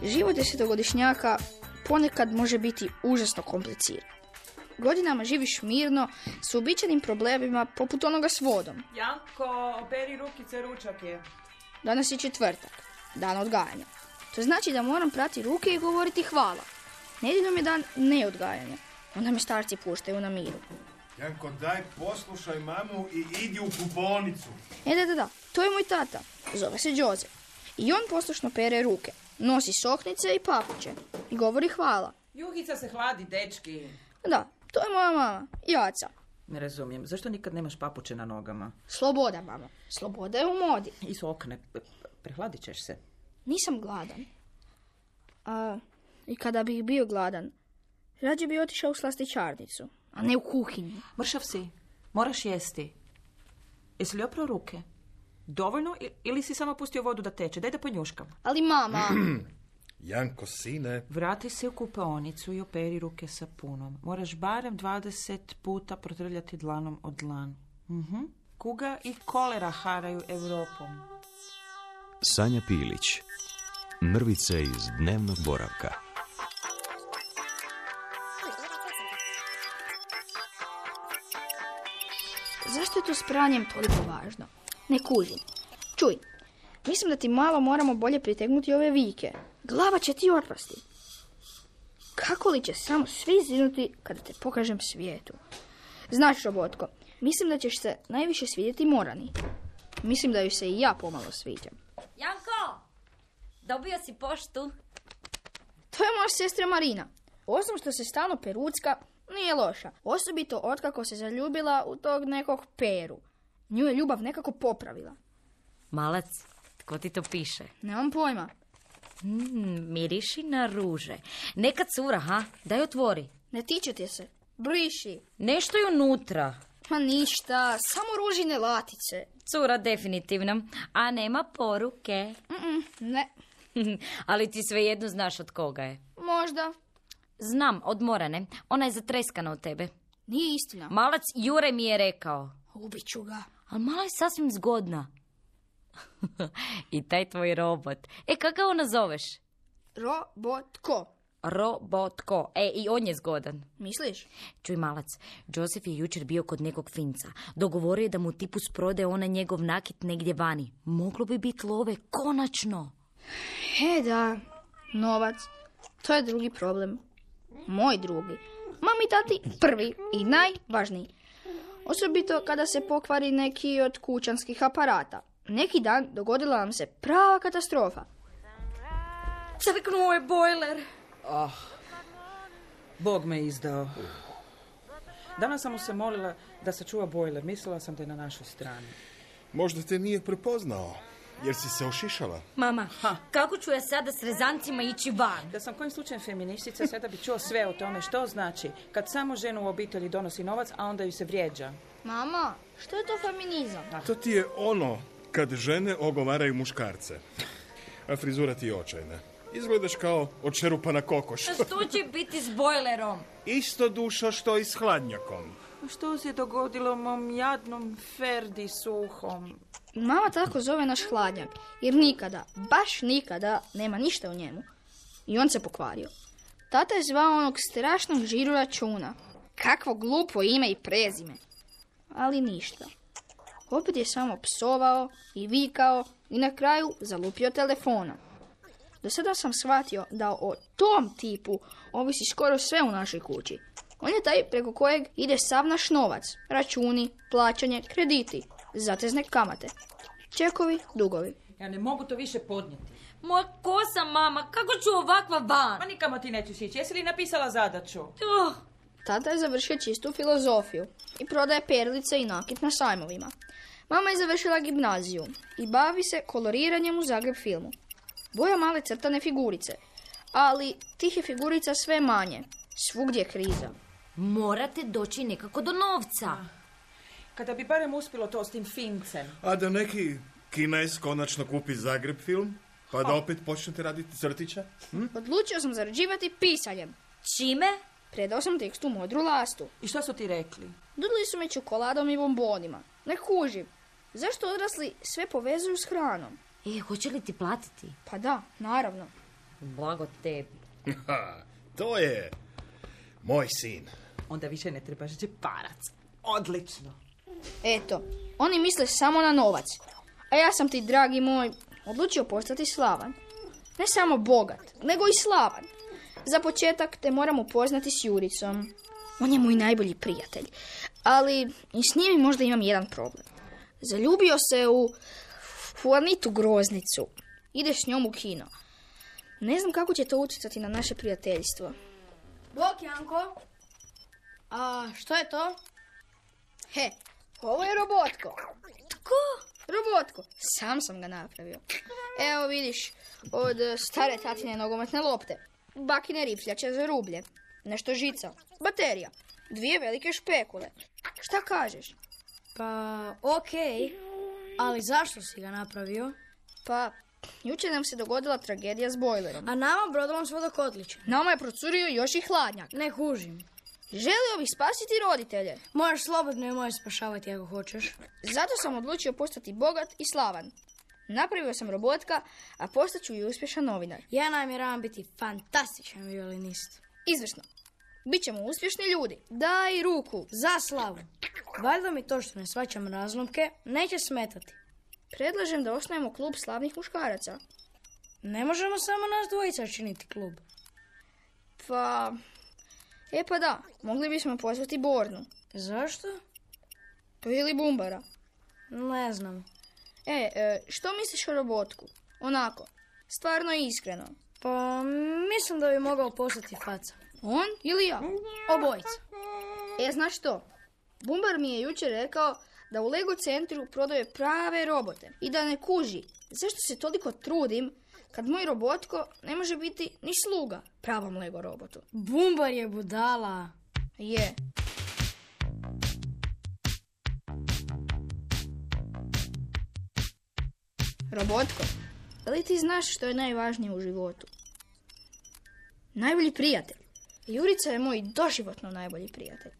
Život desetogodišnjaka ponekad može biti užasno kompliciran. Godinama živiš mirno s uobičajenim problemima poput onoga s vodom. Janko, operi rukice, ručak je. Danas je četvrtak, dan odgajanja. To znači da moram prati ruke i govoriti hvala. Nedjeljom je dan neodgajanja. Onda me starci puštaju na miru. Janko, daj poslušaj mamu i idi u kupaonicu. Da. To je moj tata. Zove se Đoze. I on poslušno pere ruke. Nosi soknice i papuče. I govori hvala. Juhica se hladi, dečki. Da, to je moja mama. Jaca. Ne razumijem. Zašto nikad nemaš papuče na nogama? Sloboda, mama. Sloboda je u modi. I okne. Prehladit ćeš se. Nisam gladan. I kada bih bio gladan, rađe bi otišao u slastičarnicu, a ne u kuhinju. Mršav si. Moraš jesti. Jesi li oprao ruke? Dovoljno ili si samo pustio vodu da teče? Daj da ponjuškam. Ali mama... Janko, sine. Vrati se u kupaonicu i operi ruke sapunom. Moraš barem 20 puta protrljati dlanom od dlan. Kuga i kolera haraju Europom. Sanja Pilić. Mrvice iz dnevnog boravka. Zašto je to s pranjem toliko važno? Ne kužim. Čuj, mislim da ti malo moramo bolje pritegnuti ove vike. Glava će ti otpasti. Kako li će samo svi zinuti kada te pokažem svijetu? Znaš, Robotko, mislim da ćeš se najviše svidjeti Morani. Mislim da ju se i ja pomalo sviđam. Janko, dobio si poštu? To je moja sestra Marina. Osim što se stalno perucka, nije loša. Osobito otkako se zaljubila u tog nekog Peru. Nju je ljubav nekako popravila. Malac, tko ti to piše? Nemam pojma. Miriši na ruže. Neka cura, ha? Daj otvori. Ne tiče ti se. Briši. Nešto je unutra. Ma ništa, samo ružine latice. Cura definitivno. A nema poruke. Ne. Ali ti svejedno znaš od koga je. Možda. Znam, od Morane. Ona je zatreskana od tebe. Nije istina. Malac Jure mi je rekao. Ubiću ga. Ali mala je sasvim zgodna. I taj tvoj robot. Kako ga ona zoveš? Robotko. Robotko. I on je zgodan. Misliš? Čuj, Malac, Joseph je jučer bio kod nekog Finca. Dogovorio je da mu tipus prodaje onaj njegov nakit negdje vani. Moglo bi biti love, konačno. Da, novac. To je drugi problem. Moj drugi. Mami, tati prvi i najvažniji. Osobito kada se pokvari neki od kućanskih aparata. Neki dan dogodila nam se prava katastrofa. Crknuo je bojler. Bog me izdao. Danas sam mu se molila da sačuva bojler. Mislila sam da je na našoj strani. Možda te nije prepoznao, jer si se ošišala. Mama, kako ću ja sada s rezancima ići van? Da sam kojim slučajem feministica, sada bi čuo sve o tome što znači kad samo ženu u obitelji donosi novac, a onda ju se vrijeđa. Mama, što je to feminizam? To ti je ono kad žene ogovaraju muškarce. A frizura ti je očajna. Izgledaš kao odšerupana kokoš. A što će biti s bojlerom? Isto dušo što i s hladnjakom. Što se dogodilo mom jadnom Ferdi Suhom? Mama tako zove naš hladnjak, jer nikada, baš nikada, nema ništa u njemu. I on se pokvario. Tata je zvao onog strašnog žiru računa. Kakvo glupo ime i prezime. Ali ništa. Opet je samo psovao i vikao i na kraju zalupio telefona. Do sada sam shvatio da o tom tipu ovisi skoro sve u našoj kući. On je taj preko kojeg ide sav naš novac, računi, plaćanje, krediti, zatezne kamate, čekovi, dugovi. Ja ne mogu to više podnijeti. Moja kosa, mama, kako ću ovakva van? Ma nikamo ti neću ići. Jesi li napisala zadaću? Tata je završio čistu filozofiju i prodaje perlice i nakit na sajmovima. Mama je završila gimnaziju i bavi se koloriranjem u Zagreb filmu. Boja male crtane figurice, ali tih je figurica sve manje. Svugdje je kriza. Morate doći nekako do novca. Kada bi barem uspjelo to s tim Fincem. A da neki Kinez konačno kupi Zagreb film, pa da opet počnete raditi crtića? Odlučio sam zarađivati pisanjem. Čime? Predao sam tekst u modru lastu. I što su ti rekli? Dudili su me čokoladom i bombonima. Ne kužim. Zašto odrasli sve povezuju s hranom? Hoće li ti platiti? Pa da, naravno. Blago tebi. To je moj sin. Onda više ne trebaš džeparac. Odlično. Eto, oni misle samo na novac. A ja sam ti, dragi moj, odlučio postati slavan. Ne samo bogat, nego i slavan. Za početak te moram upoznati s Juricom. On je moj najbolji prijatelj. Ali i s njim možda imam jedan problem. Zaljubio se u Anitu Groznicu. Ide s njom u kino. Ne znam kako će to utjecati na naše prijateljstvo. Bok, Janko. A što je to? He, ovo je Robotko. Tko? Robotko, sam sam ga napravio. Evo vidiš, od stare tatine nogometne lopte, bakine rifljače za rublje, nešto žica, baterija, 2 velike špekule. Šta kažeš? Pa, okej. Ali zašto si ga napravio? Pa, jučer nam se dogodila tragedija s bojlerom. A nama brodolom s vodokotlićem. Nama je procurio još i hladnjak. Ne kužim. Želio bih spasiti roditelje. Možeš slobodno i možeš spašavati ako hoćeš. Zato sam odlučio postati bogat i slavan. Napravio sam Robotka, a postaću i uspješan novinar. Ja namjeravam biti fantastičan violinist. Izvrsno. Bićemo uspješni ljudi. Daj ruku. Za slavu. Valjda mi to što ne svaćam razlomke neće smetati. Predlažem da osnovimo klub slavnih muškaraca. Ne možemo samo nas dvojica činiti klub. Pa da, mogli bismo pozvati Bornu. Zašto? Pa ili Bumbara. Ne znam. Što misliš o Robotku? Onako, stvarno i iskreno. Pa mislim da bi mogao postati faca. On ili ja? Obojica. Znaš što? Bumbar mi je jučer rekao da u Lego centru prodaje prave robote i da ne kuži zašto se toliko trudim kad moj Robotko ne može biti ni sluga pravom Lego robotu. Bumbar je budala. Je. Robotko, da li ti znaš što je najvažnije u životu? Najbolji prijatelj. Jurica je moj doživotno najbolji prijatelj.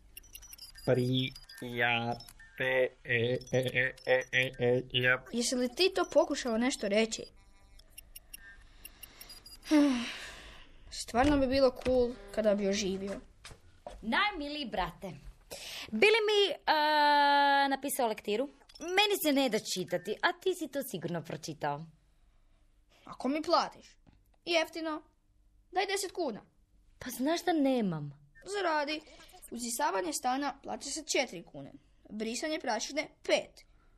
Jesi li ti to pokušao nešto reći? Stvarno bi bilo cool kada bi oživio. Najmiliji brate, bi li mi napisao lektiru? Meni se ne da čitati, a ti si to sigurno pročitao. Ako mi platiš. Jeftino. Daj 10 kuna. Pa znaš da nemam. Zaradi. Uzisavanje stana plaća se 4 kune. Brisanje prašine 5.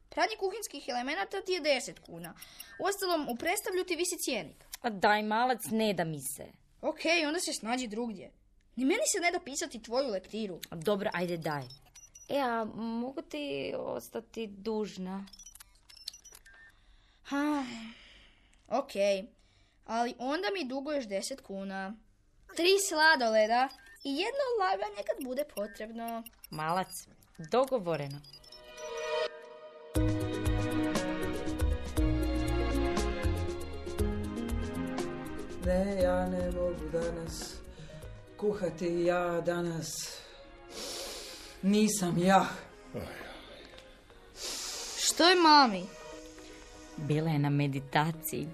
Pranje kuhinskih elemenata ti je 10 kuna. Uostalom, u predstavlju ti visi cjenik. A daj malac, ne da mi se. Okej, onda se snađi drugdje. Ni meni se ne da pisati tvoju lektiru. Dobro, ajde daj. A mogu ti ostati dužna? Okej, ali onda mi duguješ 10 kuna. 3 sladoleda i jedno laganje kad bude potrebno. Malac, dogovoreno. Ne, ja ne mogu danas kuhati, ja danas nisam ja. Što je mami? Bila je na meditaciji.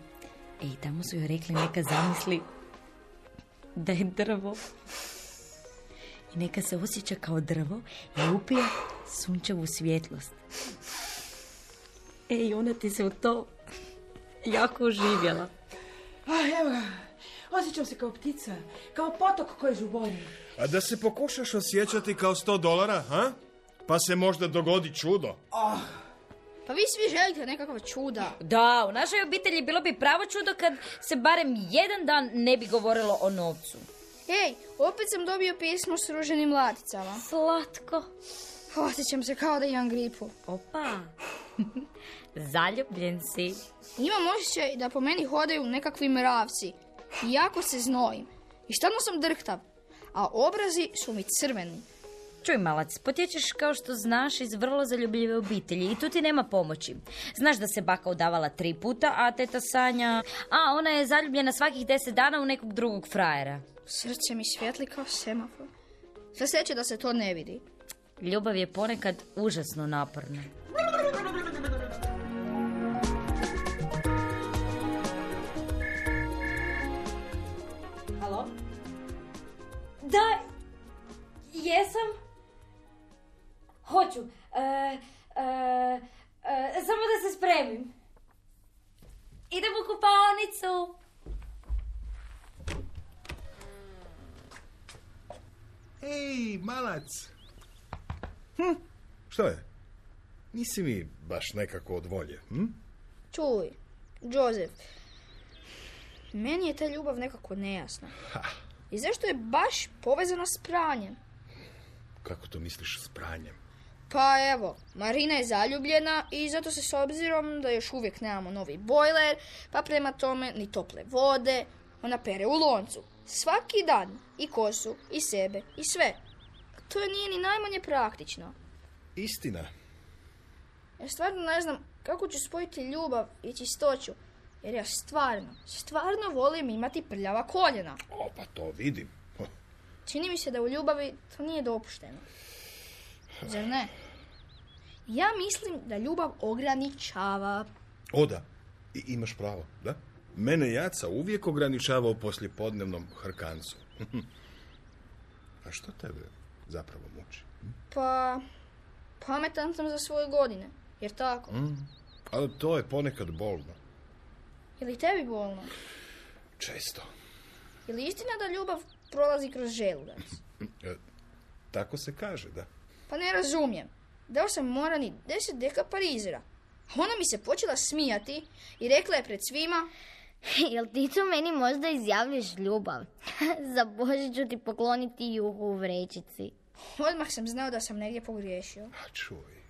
Tamo su joj rekli neka zamisli da je drvo. I neka se osjeća kao drvo i upije sunčevu svjetlost. I ona ti se u to jako uživjela. Evo ga, osjećam se kao ptica, kao potok koji žubori. A da se pokušaš osjećati kao $100, ha? Pa se možda dogodi čudo. Pa vi svi želite nekakva čuda. Da, u našoj obitelji bilo bi pravo čudo kad se barem jedan dan ne bi govorilo o novcu. Opet sam dobio pismo s ruženim laticama. Slatko. Osjećam se kao da imam gripu. Opa. Zaljubljen si. Imam osjećaj da po meni hodaju nekakvi mravci. Jako se znojim. I stalno sam drhtav. A obrazi su mi crveni. Čuj malac, potječeš kao što znaš iz vrlo zaljubljive obitelji i tu ti nema pomoći. Znaš da se baka udavala 3 puta, a teta Sanja... ona je zaljubljena svakih 10 dana u nekog drugog frajera. Srce mi svijetli kao semafor. Sve sreće da se to ne vidi. Ljubav je ponekad užasno naporna. samo da se spremim. Idem u kupaonicu. Ej, malac! Što je? Nisi mi baš nekako od volje, Čuj, Joseph, meni je ta ljubav nekako nejasna. I zašto je baš povezana s pranjem? Kako to misliš s pranjem? Pa evo, Marina je zaljubljena i zato se s obzirom da još uvijek nemamo novi bojler, pa prema tome ni tople vode, ona pere u loncu. Svaki dan. I kosu, i sebe, i sve. To nije ni najmanje praktično. Istina. Ja stvarno ne znam kako ću spojiti ljubav i čistoću. Jer ja stvarno volim imati prljava koljena. O, pa to vidim. Čini mi se da u ljubavi to nije dopušteno. Zar ne? Ja mislim da ljubav ograničava. O da, i imaš pravo, da? Mene Jaca uvijek ograničavao poslijepodnevnom hrkancu. A što tebe zapravo muči? Pa, pametan sam za svoje godine. Jer tako? Ali to je ponekad bolno. Je li tebi bolno? Često. Je li istina da ljubav prolazi kroz želudac? Tako se kaže, da. Pa ne razumijem. Dao sam Morani 10 deka parizera. A ona mi se počela smijati i rekla je pred svima: Jel ti to meni možda izjavljaš ljubav? Za Božić ću ti pokloniti juhu u vrećici. Odmah sam znao da sam negdje pogriješio. A čuj,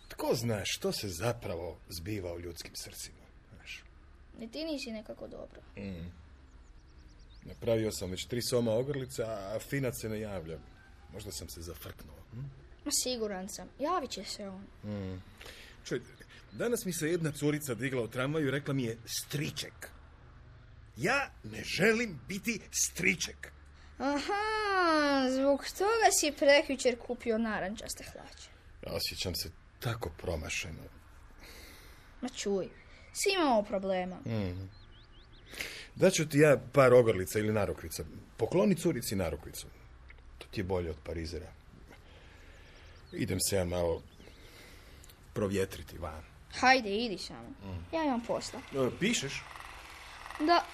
tko zna što se zapravo zbiva u ljudskim srcima, znaš? Ni ti nisi nekako dobro. Napravio sam već 3 soma ogrlica, a Finac se ne javlja. Možda sam se zafrknuo. Ma siguran sam, javit će se on. Čuj, danas mi se jedna curica digla u tramvaju i rekla mi je striček. Ja ne želim biti striček. Aha, zbog toga si prekjučer kupio narančaste hlače. Osjećam se tako promašeno. Ma čuj, svi imamo problema. Daću ti ja par ogrlica ili narukvica. Pokloni curici narukvicu. To ti je bolje od parizera. Idem se ja malo provjetriti van. Hajde, idi samo. Ja imam posla. Pišeš? Da.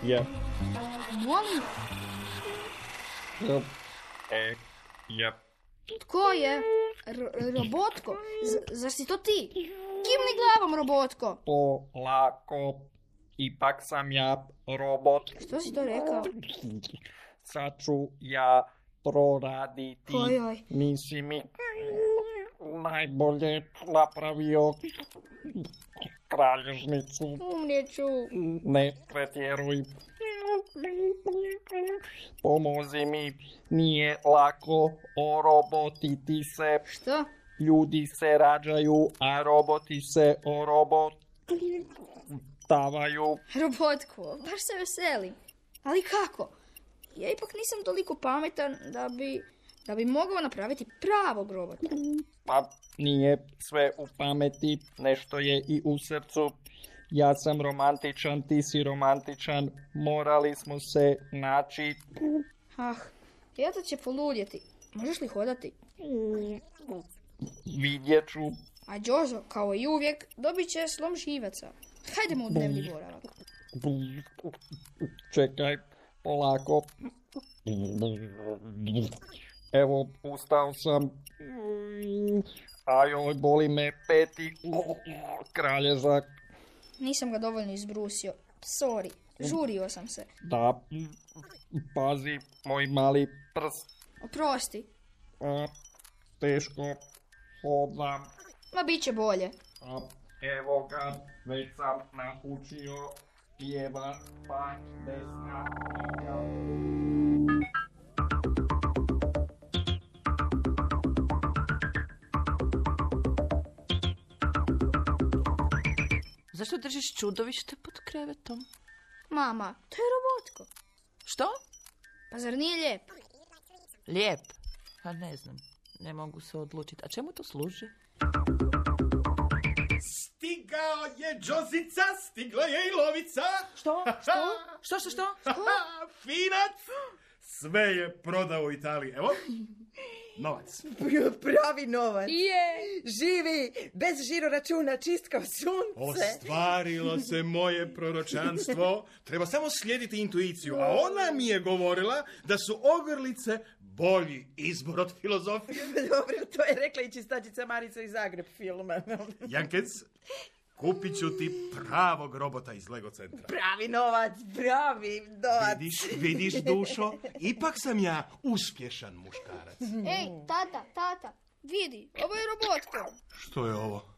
Ja. Molim, Ja. tko je? Robotko? Zar si to ti? Kimni glavom, Robotko. Polako. Ipak sam ja robot. Što si to rekao? Sad ću ja proraditi. Ojoj. Nisi mi najbolje napravio kralježnicu. Umrijeću. Ne pretjeruj. Pomozi mi, nije lako orobotiti se. Što? Ljudi se rađaju, a roboti se orobotavaju. Robotko, baš se veselim. Ali kako? Ja ipak nisam toliko pametan da bi mogao napraviti pravog robota. Pa nije sve u pameti, nešto je i u srcu. Ja sam romantičan, ti si romantičan, morali smo se naći. Teta će poludjeti. Možeš li hodati? Vidjet ću. A Jozo, kao i uvijek, dobit će slom živaca. Hajdemo u dnevni boravak. Čekaj, polako. Evo, ustao sam. Ajoj, boli me peti. Kralježak. Nisam ga dovoljno izbrusio. Sorry, žurio sam se. Da, pazi, moj mali prst. Oprosti. Teško hodam. Ma bit će bolje. Evo ga, već sam naučio pjeva pa desna. Zašto držiš čudovište pod krevetom? Mama, to je Robotko. Što? Pa zar nije lijep? Lijep? A ne znam, ne mogu se odlučiti. A čemu to služi? Stigao je Džozica, stigla je i lovica. Što? Što? Što? Finac, Sve je prodao u Italiji. Evo, novac. Pravi novac. Je. Živi, bez žiroračuna, čist kao sunce. Ostvarilo se moje proročanstvo. Treba samo slijediti intuiciju. A ona mi je govorila da su ogrlice bolji izbor od filozofije. Dobro, to je rekla i čistačica Marica iz Zagreb filma. Jankec, kupit ću ti pravog robota iz Lego centra. Pravi novac. Vidiš, dušo, ipak sam ja uspješan muškarac. Ej, tata, vidi, ovo je robotko. Što je ovo?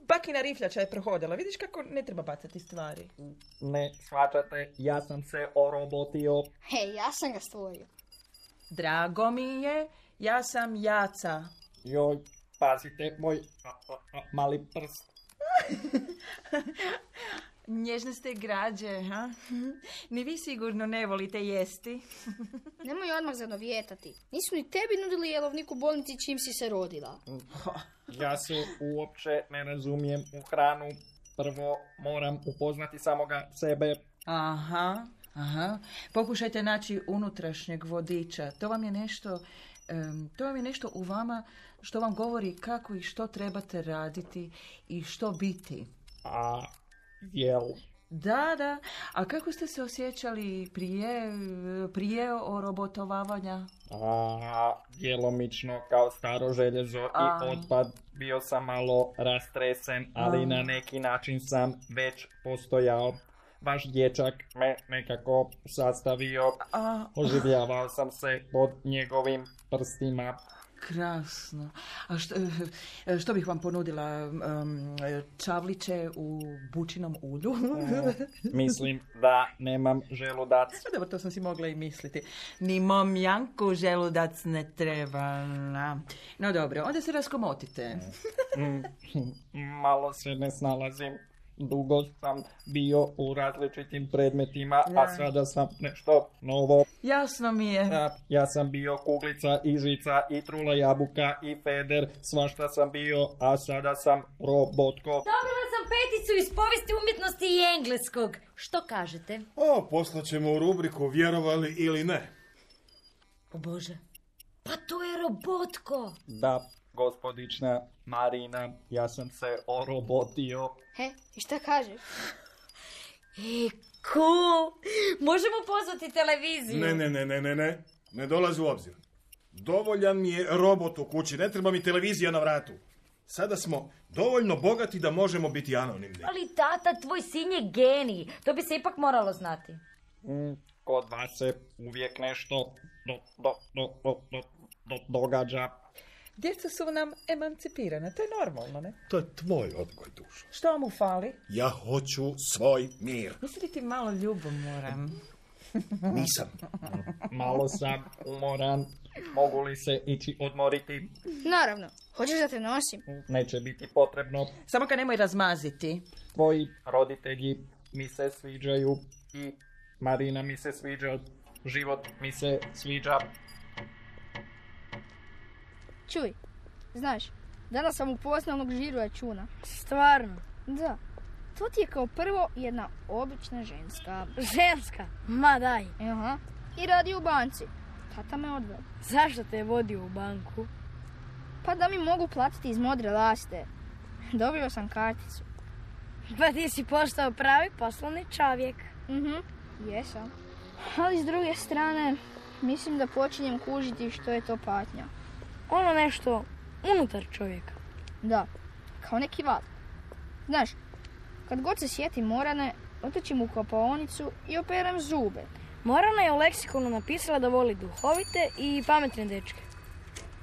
Bakina rifljača je prohodila. Vidiš kako ne treba bacati stvari. Ne shvaćate, ja sam se orobotio. Hej, ja sam ga stvorio. Drago mi je, ja sam Jaca. Joj, pazite, moj mali prst. Nježne ste građe, ha? Ni vi sigurno ne volite jesti. Nemoj odmah zanovijetati. Nisu ni tebi nudili jelovnik u bolnici čim si se rodila. Ja se uopće ne razumijem u hranu. Prvo moram upoznati samoga sebe. Aha. Pokušajte naći unutrašnjeg vodiča. To vam je nešto u vama što vam govori kako i što trebate raditi i što biti. A jel? Da. A kako ste se osjećali prije orobotovavanja? Djelomično kao staro željezo i otpad. Bio sam malo rastresen, ali na neki način sam već postojao. Vaš dječak me nekako sastavio. Oživljavao sam se pod njegovim prstima. Krasno. A što bih vam ponudila? Čavliće u bučinom ulju? Mislim da nemam želudac. Dobro, to sam si mogla i misliti. Ni mom Janku želudac ne treba. No dobro, onda se raskomotite. Malo se ne snalazim. Dugo sam bio u različitim predmetima, a sada sam nešto novo. Jasno mi je. Ja sam bio kuglica i žica i trula jabuka i feder, svašta sam bio, a sada sam robotko. Dobila sam 5 iz povijesti umjetnosti i engleskog. Što kažete? Poslaćemo u rubriku vjerovali ili ne. O Bože, pa to je robotko. Da, gospodična Marina, ja sam se orobotio. I šta kažeš? Cool. Možemo pozvati televiziju. Ne. Ne dolazi u obzir. Dovoljan mi je robot u kući, ne treba mi televizija na vratu. Sada smo dovoljno bogati da možemo biti anonimni. Ali tata, tvoj sin je genij. To bi se ipak moralo znati. Kod vas se uvijek nešto događa. Djeca su nam emancipirana, to je normalno, ne? To je tvoj odgoj, dušo. Što vam ufali? Ja hoću svoj mir. Nisi li ti malo ljubomoran? Nisam. Malo sam umoran. Mogu li se ići odmoriti? Naravno. Hoćeš da te nosim? Neće biti potrebno. Samo ga nemoj razmaziti. Tvoji roditelji mi se sviđaju i Marina mi se sviđa. Život mi se sviđa. Čuj, znaš, danas sam upoznao onog žiroračuna. Stvarno? Da. To ti je kao prvo jedna obična ženska. Ženska? Ma daj. Aha. I radi u banci. Tata me odveo. Zašto te je vodio u banku? Pa da mi mogu platiti iz modre laste. Dobio sam karticu. Pa ti si postao pravi poslovni čovjek. Jesam. Ali s druge strane, mislim da počinjem kužiti što je to patnja. Ono nešto unutar čovjeka. Da, kao neki val. Znaš, kad god se sjetim Morane, otičem u kopaonicu i operem zube. Morana je u leksikonu napisala da voli duhovite i pametne dečke.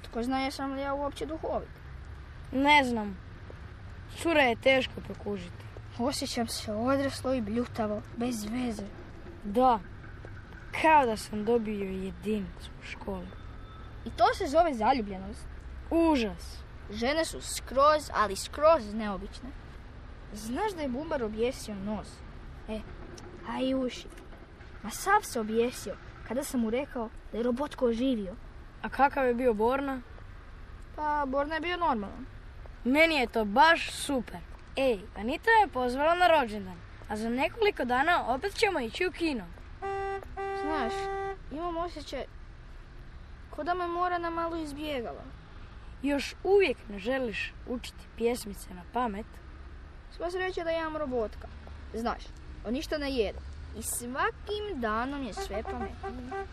Tko zna jesam li ja uopće duhovit? Ne znam. Cura je teško prokužiti. Osjećam se odraslo i bljutavo, bez veze. Da, kao da sam dobio jedinicu u školi. I to se zove zaljubljenost. Užas. Žene su skroz, ali skroz neobične. Znaš da je Bumbar objesio nos? A i uši. Ma sav se objesio kada sam mu rekao da je robotko oživio. A kakav je bio Borna? Pa Borna je bio normalan. Meni je to baš super. Anita me pozvala na rođendan, a za nekoliko dana opet ćemo ići u kino. Znaš, imam osjećaj ko da me Morana malo izbjegala. Još uvijek ne želiš učiti pjesmice na pamet? Sva sreća da imam robotka. Znaš, on ništa ne jede. I svakim danom je sve pametnije.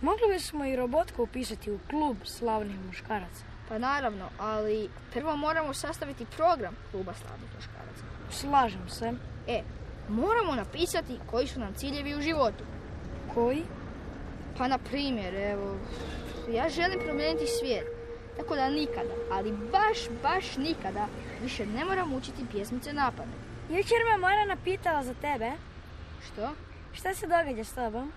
Mogli bismo i robotku upisati u klub slavnih muškaraca. Pa naravno, ali prvo moramo sastaviti program kluba slavnih muškaraca. Slažem se. Moramo napisati koji su nam ciljevi u životu. Koji? Pa na primjer, evo, ja želim promijeniti svijet. Tako da nikada, ali baš nikada više ne moram učiti pjesmice na pamet. Jučer me Morana pitala za tebe. Što? Šta se događa s tobom?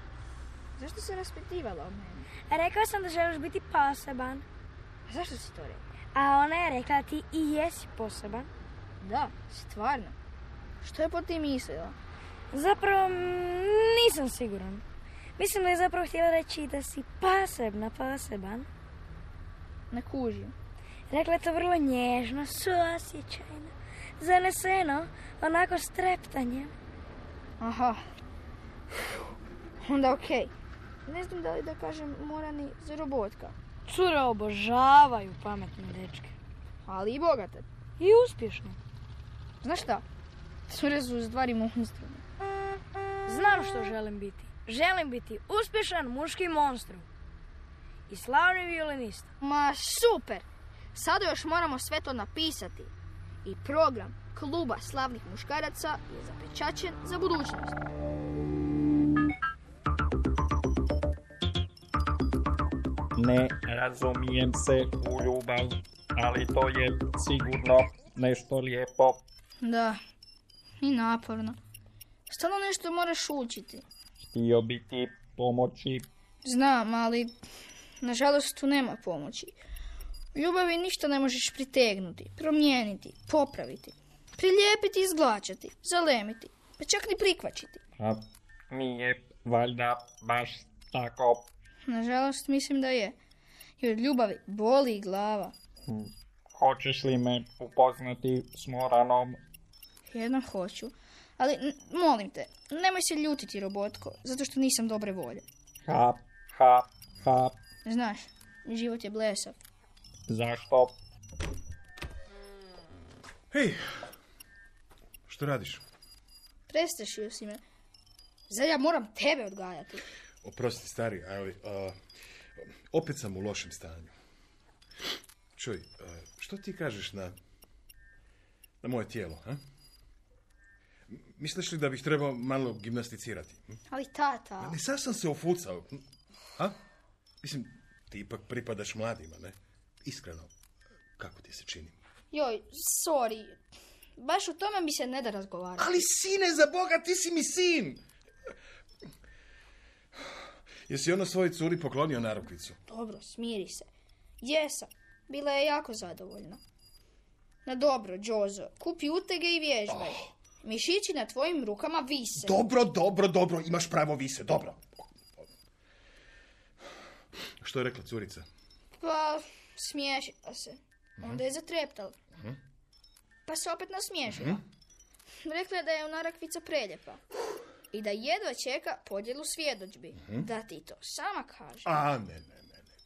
Zašto se raspitivala o mene? Rekao sam da želiš biti poseban. A zašto si to rekla? A ona je rekla da ti i jesi poseban. Da, stvarno. Što je po ti mislila? Zapravo nisam siguran. Mislim da je zapravo htjela reći da si poseban. Ne kužim. Rekla je to vrlo nježno, suosjećajno, zaneseno, onako s treptanjem. Aha. Onda okej. Ne znam da li da kažem Morani za robotka. Cure obožavaju pametne dečke. Ali i bogate. I uspješne. Znaš šta? Cure su u stvari monstrumi. Znam što želim biti. Želim biti uspješan muški monstrum. I slavni violinista. Ma super! Sada još moramo sve to napisati. I program kluba slavnih muškaraca je zapečaćen za budućnost. Ne razumijem se u ljubav, ali to je sigurno nešto lijepo. Da, i naporno. Stalno nešto moraš učiti. Htio bi ti pomoći. Znam, ali nažalost tu nema pomoći. U ljubavi ništa ne možeš pritegnuti, promijeniti, popraviti, prilijepiti, izglačati, zalemiti, pa čak ni prikvačiti. A nije valjda baš tako. Nažalost mislim da je. I od ljubavi boli glava. Hoćeš li me upoznati s Moranom? Jednom hoću. Ali molim te, nemoj se ljutiti, robotko, zato što nisam dobre volje. Ha. Znaš, život je blesav. Zašto? Hej, što radiš? Prestrašio si me. Zar ja moram tebe odgajati? Oprosti, stari, ali opet sam u lošem stanju. Čuj, što ti kažeš na moje tijelo, ha? Misliš li da bih trebao malo gimnasticirati? Ali tata... Ne, sad sam se ofucao. Ha? Mislim, ti ipak pripadaš mladima, ne? Iskreno, kako ti se čini? Joj, sorry. Baš o tome mi se ne da razgovarati. Ali sine, za Boga, ti si mi sin! Jesi ono svojoj curi poklonio narukvicu? Dobro, smiri se. Jesam. Bila je jako zadovoljna. Na dobro, Džozo, kupi utege i vježbaj. Mišići na tvojim rukama vise. Dobro, imaš pravo vise, dobro. Što je rekla curica? Pa, smiješila se. Onda je zatreptala. Pa se opet nasmiješila. Rekla je da je narakvica preljepa. I da jedva čeka podjelu svjedodžbi. Da ti to sama kaže. Ne.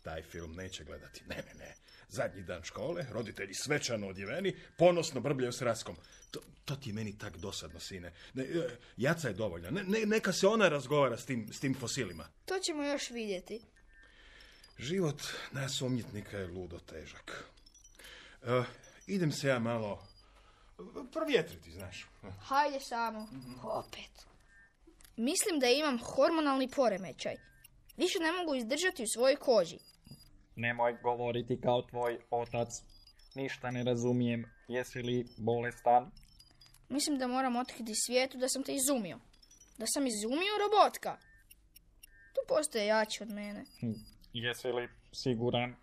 Taj film neće gledati. Ne. Zadnji dan škole, roditelji svečano odjeveni, ponosno brbljaju s Raskom. To ti je meni tak dosadno, sine. Jaca je dovoljna. Neka se ona razgovara s tim fosilima. To ćemo još vidjeti. Život nas umjetnika je ludo težak. Idem se ja malo provjetriti, znaš. Hajde samo. Opet. Mislim da imam hormonalni poremećaj. Više ne mogu izdržati u svojoj koži. Nemoj govoriti kao tvoj otac. Ništa ne razumijem. Jesi li bolestan? Mislim da moram otkriti svijetu da sam te izumio. Da sam izumio robotka. Tu postoje jači od mene. Jesi li siguran?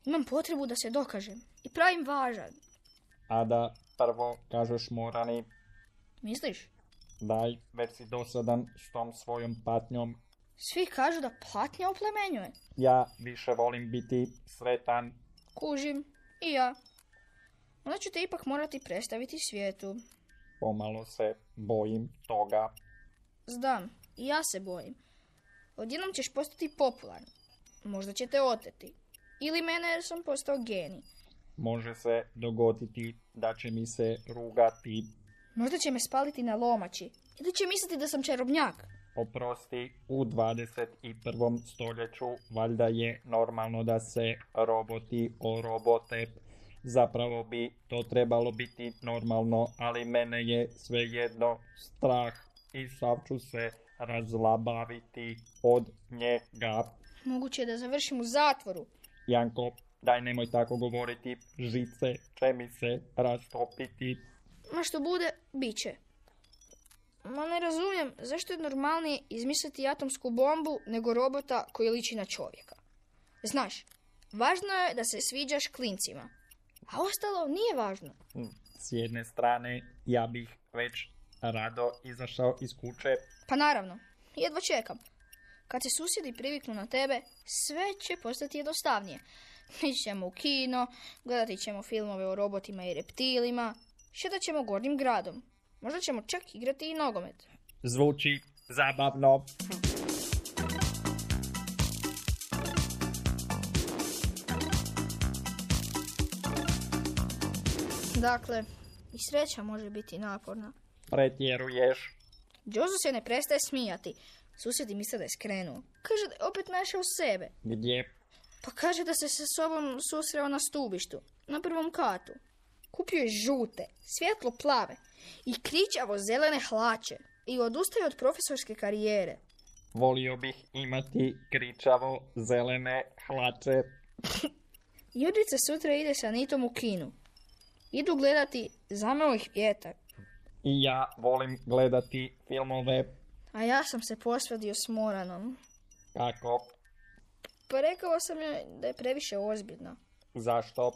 Imam potrebu da se dokažem. I pravim važan. A da prvo kažeš Morani. Misliš? Daj, već si dosadan s tom svojom patnjom. Svi kažu da patnja oplemenjuje. Ja više volim biti sretan. Kužim. I ja. Onda ću te ipak morati predstaviti svijetu. Pomalo se bojim toga. Znam. I ja se bojim. odjednom ćeš postati popularan. Možda će te oteti. Ili mene jer sam postao genij. Može se dogoditi da će mi se rugati. Možda će me spaliti na lomači. Ili će misliti da sam čarobnjak. Oprosti, u 21. stoljeću valjda je normalno da se roboti orobote. Zapravo bi to trebalo biti normalno, ali mene je svejedno strah i sav ću se razlabaviti od njega. Moguće je da završim u zatvoru. Janko, daj nemoj tako govoriti, žice će mi se rastopiti. Ma što bude, bit će. Ma ne razumijem zašto je normalnije izmisliti atomsku bombu nego robota koji liči na čovjeka. Znaš, važno je da se sviđaš klincima, a ostalo nije važno. S jedne strane, ja bih već rado izašao iz kuće. Pa naravno, jedva čekam. Kad se susjedi priviknu na tebe, sve će postati jednostavnije. Ići ćemo u kino, gledati ćemo filmove o robotima i reptilima, šetat ćemo gornjim gradom. Možda ćemo čak igrati i nogomet. Zvuči zabavno. Dakle, i sreća može biti naporna. Pretjeruješ. Jozo se ne prestaje smijati. Susjedi misle da je skrenuo. Kaže da je opet našao sebe. Gdje? Pa kaže da se sa sobom susreo na stubištu, na prvom katu. Kupio je žute, svjetlo plave i kričavo zelene hlače i odustaje od profesorske karijere. Volio bih imati kričavo zelene hlače. Judrica sutra ide sa Nitom u kinu. Idu gledati Zameo ih vjetar. I ja volim gledati filmove. A ja sam se posvadio s Moranom. Kako? Pa rekao sam joj da je previše ozbiljna. Zašto?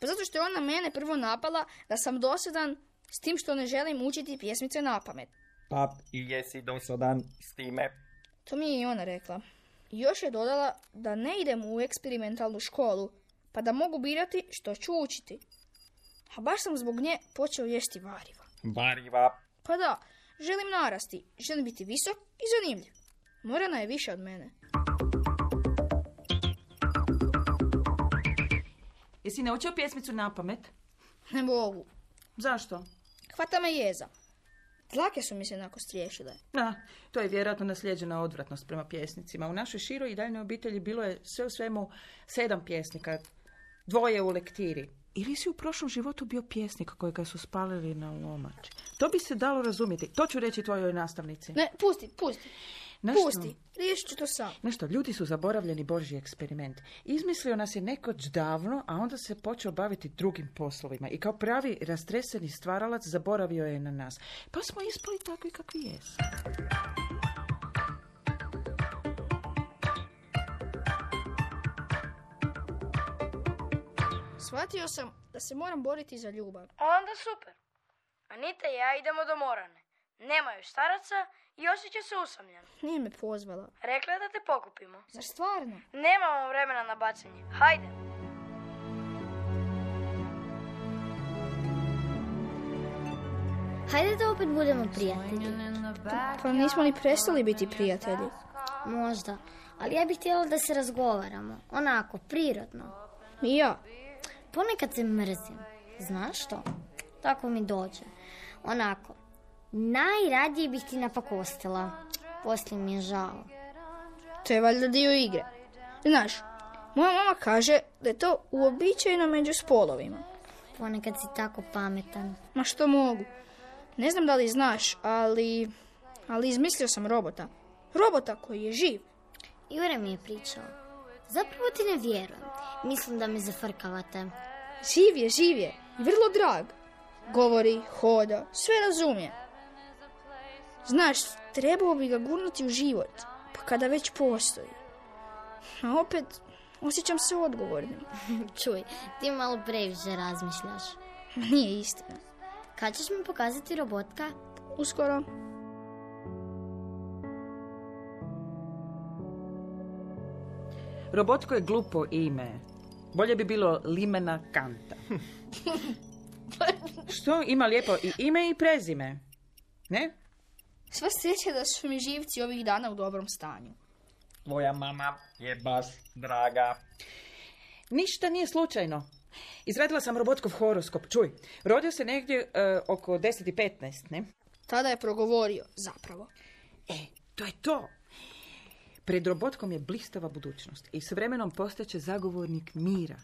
Pa zato što je ona mene prvo napala da sam dosadan s tim što ne želim učiti pjesmice napamet. Pa i jesi dosadan s time? To mi je i ona rekla. I još je dodala da ne idem u eksperimentalnu školu, pa da mogu birati što ću učiti. A baš sam zbog nje počeo jesti variva. Variva? Pa da, želim narasti, želim biti visok i zanimljiv. Morana je više od mene. Jesi naučio pjesmicu napamet? Ne mogu. Zašto? Hvata me jeza. Dlake su mi se onako striješile. To je vjerojatno naslijeđena odvratnost prema pjesnicima. U našoj široj i daljnoj obitelji bilo je sve u svemu 7 pjesnika, 2 u lektiri. Ili si u prošlom životu bio pjesnik kojega su spalili na lomači? To bi se dalo razumjeti. To ću reći tvojoj nastavnici. Ne, pusti. Pusti, riješit ću to sam. Nešto, ljudi su zaboravljeni Božji eksperiment. Izmislio nas je nekoć davno, a onda se počeo baviti drugim poslovima. I kao pravi rastreseni stvaralac zaboravio je na nas. Pa smo ispali takvi kakvi jesu. Shvatio sam da se moram boriti za ljubav. Onda super. Anita i ja idemo do Morane. Nemaju staraca i osjeća se usamljeno. Nije me pozvala. Rekla je da te pokupimo. Zar stvarno? Nemamo vremena na bacanje. Hajde. Hajde da opet budemo prijatelji. Pa nismo ni prestali biti prijatelji. Možda, ali ja bih htjela da se razgovaramo. Onako, prirodno. I ja. Ponekad se mrzim. Znaš što? Tako mi dođe. Onako, najradije bih ti napakostila. Poslije mi je žao. To je valjda dio igre. Znaš, moja mama kaže da je to uobičajeno među spolovima. Ponekad si tako pametan. Ma što mogu? Ne znam da li znaš, ali izmislio sam robota. Robota koji je živ. Jure mi je pričao. Zapravo ti ne vjerujem. Mislim da me zafrkavate. Živ je. I vrlo drag. Govori, hoda, sve razumije. Znaš, trebao bi ga gurnuti u život. Pa kada već postoji. A opet, osjećam se odgovornim. Čuj, ti malo previše razmišljaš. Nije istina. Kad ćeš mi pokazati robotka? Uskoro. Robotko je glupo ime. Bolje bi bilo Limena Kanta. Što? Ima lijepo i ime i prezime. Ne? Sva sreća da su mi živci ovih dana u dobrom stanju. tvoja mama je baš draga. Ništa nije slučajno. Izradila sam robotkov horoskop. Čuj, rodio se negdje oko 10:15, ne? Tada je progovorio, zapravo. To je to. Pred robotkom je blistava budućnost i s vremenom postaće zagovornik mira.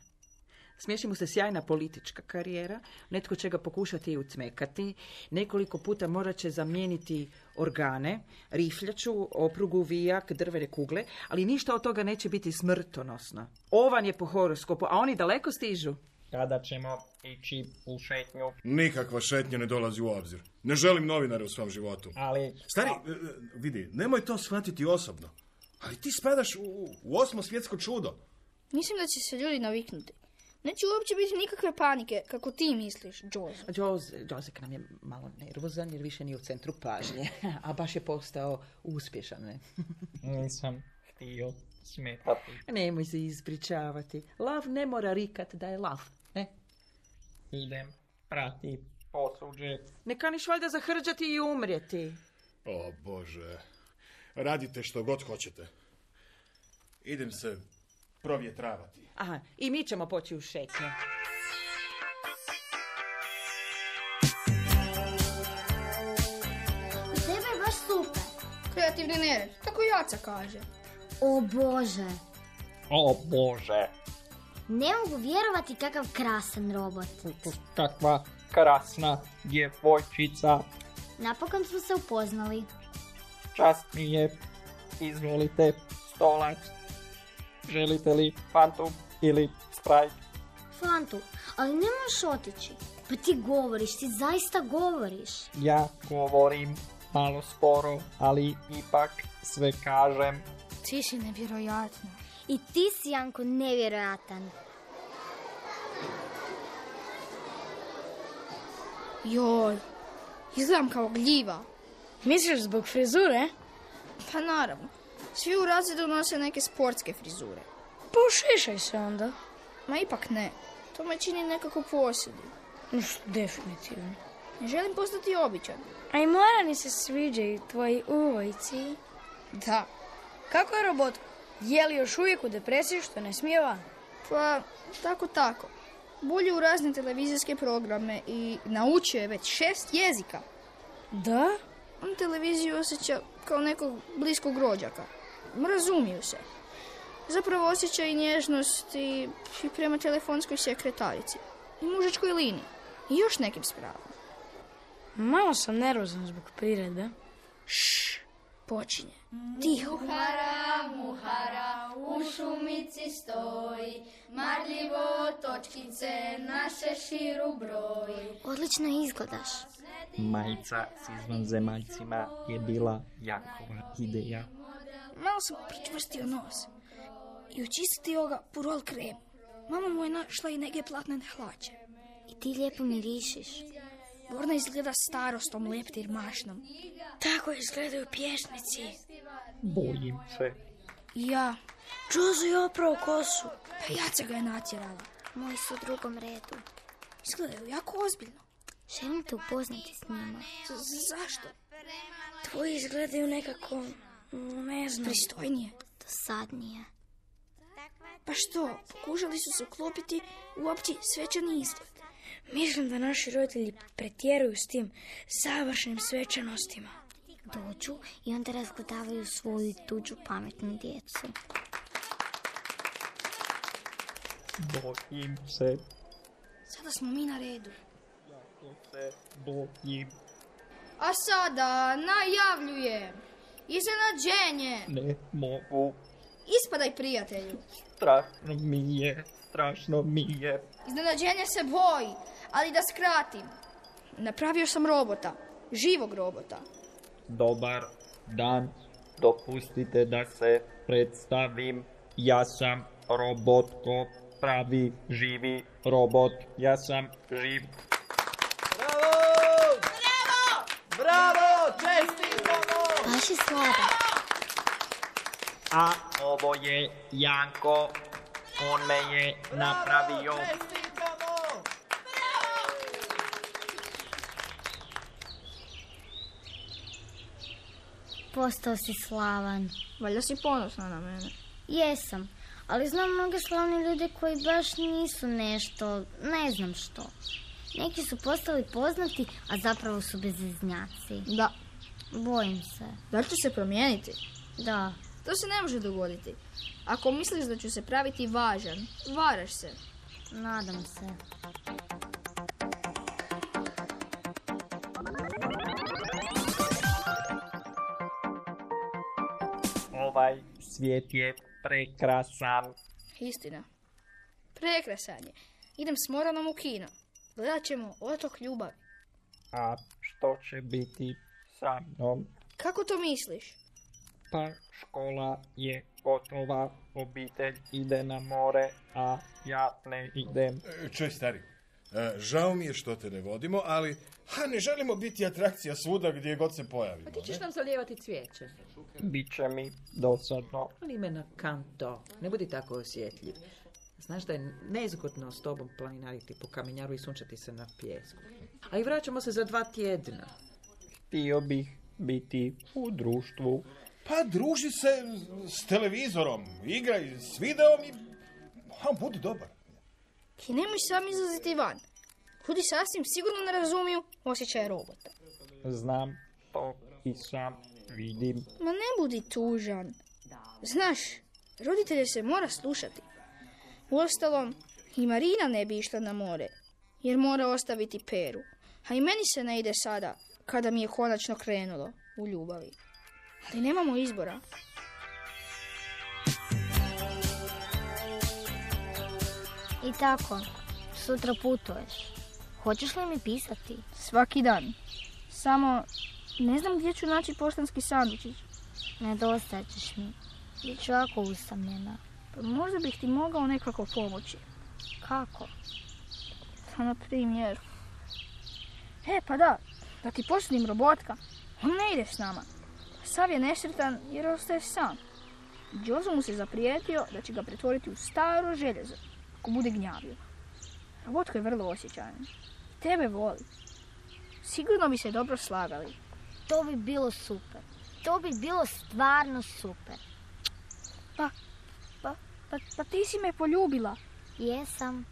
Smiješi mu se sjajna politička karijera, netko će ga pokušati i ucmekati, nekoliko puta morat će zamijeniti organe, rifljaču, oprugu, vijak, drvene kugle, ali ništa od toga neće biti smrtonosno. Ovan je po horoskopu, a oni daleko stižu. Kada ćemo ići u šetnju? Nikakva šetnja ne dolazi u obzir. Ne želim novinare u svom životu. Ali... Stari, vidi, nemoj to shvatiti osobno. Ali ti spadaš u 8. svjetsko čudo. Mislim da će se ljudi naviknuti. Neće uopće biti nikakve panike, kako ti misliš, Jozo. Jozek nam je malo nervozan jer više nije u centru pažnje, a baš je postao uspješan, ne? Nisam htio smetati. Nemoj se ispričavati. Lav ne mora rikat da je lav, ne? Idem prati posuđe. Ne kaniš valjda zahrđati i umrijeti. O Bože, radite što god hoćete. Idem se provjetravati. Aha, i mi ćemo poći u šetnju. U tebe je baš super. Kreativni nered, tako Jaca kaže. O Bože. O Bože. Ne mogu vjerovati kakav krasan robot. Kakva krasna djevojčica. Napokon smo se upoznali. Čast mi je. Izvolite stolac. Želite li Fantu ili Sprite? Fantu, ali ne možeš otići. Pa ti govoriš, ti zaista govoriš. Ja govorim malo sporo, ali ipak sve kažem. Ti si nevjerojatno. I ti si, Janko, nevjerojatan. Joj, izgledam kao gljiva. Misliš zbog frizure? Pa naravno. Svi u razredu nose neke sportske frizure. Pošišaj se onda. Ma ipak ne. To me čini nekako posjedim. Definitivno. Ne želim postati običan. A i Morani se sviđaju tvoji uvojci. Da. Kako je robot? Je li još uvijek u depresiji što ne smije van? Pa, tako. Bolje u razne televizijske programe i naučio je već 6 jezika. Da? On televiziju osjeća kao nekog bliskog rođaka. Razumiju se. Zapravo osjeća i nježnost i prema telefonskoj sekretarici. I mužačkoj liniji. I još nekim spravama. Malo sam nervozan zbog priredbe. Počinje. Tiho. Muhara, u šumici stoji, marljivo točkice na šeširu broji. Odlično izgledaš. Majica s izvanzemaljcima je bila Jakova ideja. Malo sam pričvrstio nos i očistio ga purol kremu. Mama mu je našla i neke platnene hlače. I ti lijepo mirišiš. Borna izgleda starostom, leptir mašnom. Tako izgledaju pjesnici. Bojim se. Ja. Jozo je oprao kosu. Pa Jaca ga je natjerala. Moji su u drugom redu. Izgledaju jako ozbiljno. Želim te upoznati s njima. Zašto? Tvoji izgledaju nekako, ne znam. Pristojnije. Dosadnije. Pa što, pokušali su se uklopiti u opći svečani izgled. Mislim da naši roditelji pretjeruju s tim savršenim svečanostima. Dođu i onda razgledavaju svoju i tuđu pametnu djecu. Bojim se. Sada smo mi na redu. Jako se bojim. A sada najavljujem iznenađenje. Ne mogu. Ispadaj, prijatelju. Strašno mi je. Iznenađenje se boji, ali da skratim. Napravio sam robota, živog robota. Dobar dan, dopustite da se predstavim. Ja sam Robotko, pravi, živi robot. Ja sam živ. Bravo! Čestitamo! Baš je sladak. A ovo je Janko. On me je napravio. postao si slavan. Valjda si ponosna na mene. Jesam, ali znam mnoge slavne ljude koji baš nisu nešto, ne znam što. Neki su postali poznati, a zapravo su bezeznjaci. Da. Bojim se. Da ću se promijeniti? Da. To se ne može dogoditi. Ako misliš da ću se praviti važan, varaš se. Nadam se. Ovaj svijet je prekrasan. Istina. Prekrasan je. Idem s Moranom u kino. Gledat ćemo Otok ljubavi. A što će biti sa mnom? Kako to misliš? Pa škola je gotova, obitelj ide na more, a ja ne idem. Čuj, stari, žao mi je što te ne vodimo, ali ne želimo biti atrakcija svuda gdje god se pojavimo. A ti ćeš nam zalijevati cvijeće. Biće mi dosadno. Ali me na kanto, ne budi tako osjetljiv. Znaš da je nezgodno s tobom planinariti po kamenjaru i sunčati se na pijesku. A i vraćamo se za 2 tjedna. Htio bih biti u društvu. Pa druži se s televizorom, igraj s videom i budi dobar. I nemoj sam izlaziti van. Ljudi sasvim sigurno ne razumiju osjećaje robota. Znam to i sam vidim. Ma ne budi tužan. Znaš, roditelje se mora slušati. Uostalom, i Marina ne bi išla na more, jer mora ostaviti Peru. A i meni se ne ide sada, kada mi je konačno krenulo u ljubavi. Ali nemamo izbora. I tako, sutra putuješ. Hoćeš li mi pisati? Svaki dan. Samo ne znam gdje ću naći poštanski sandučić. Nedostajat ćeš mi. Biću jako usamljena. Pa možda bih ti mogao nekako pomoći. Kako? Pa na primjer. Pa da ti posudim robotka. On ne ide s nama. Sav je nesretan jer ostaje sam. Jozo mu se zaprijetio da će ga pretvoriti u staro željezo ako bude gnjavio. Robotko je vrlo osjećajan. Tebe voli. Sigurno bi se dobro slagali. To bi bilo super. To bi bilo stvarno super. Pa ti si me poljubila. Jesam.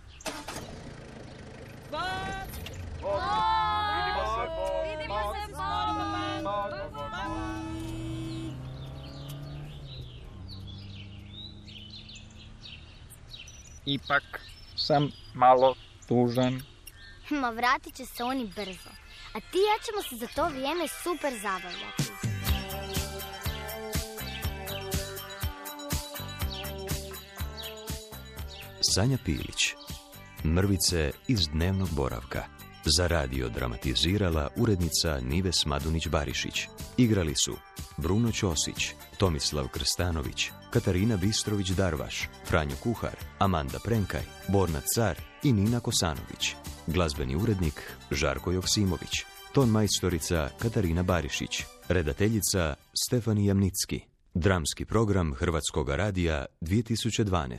Vidimo se, Ipak sam malo tužan. Ma vratit će se oni brzo. A ti i ja ćemo se za to vrijeme super zabavljati. Sanja Pilić. Mrvice iz dnevnog boravka. Za radio dramatizirala urednica Nives Madunić-Barišić. Igrali su Bruno Ćosić, Tomislav Krstanović, Katarina Bistrović-Darvaš, Franjo Kuhar, Amanda Prenkaj, Borna Car i Nina Kosanović. Glazbeni urednik Žarko Joksimović. Ton majstorica Katarina Barišić. Redateljica Stefani Jamnicki. Dramski program Hrvatskoga radija 2012.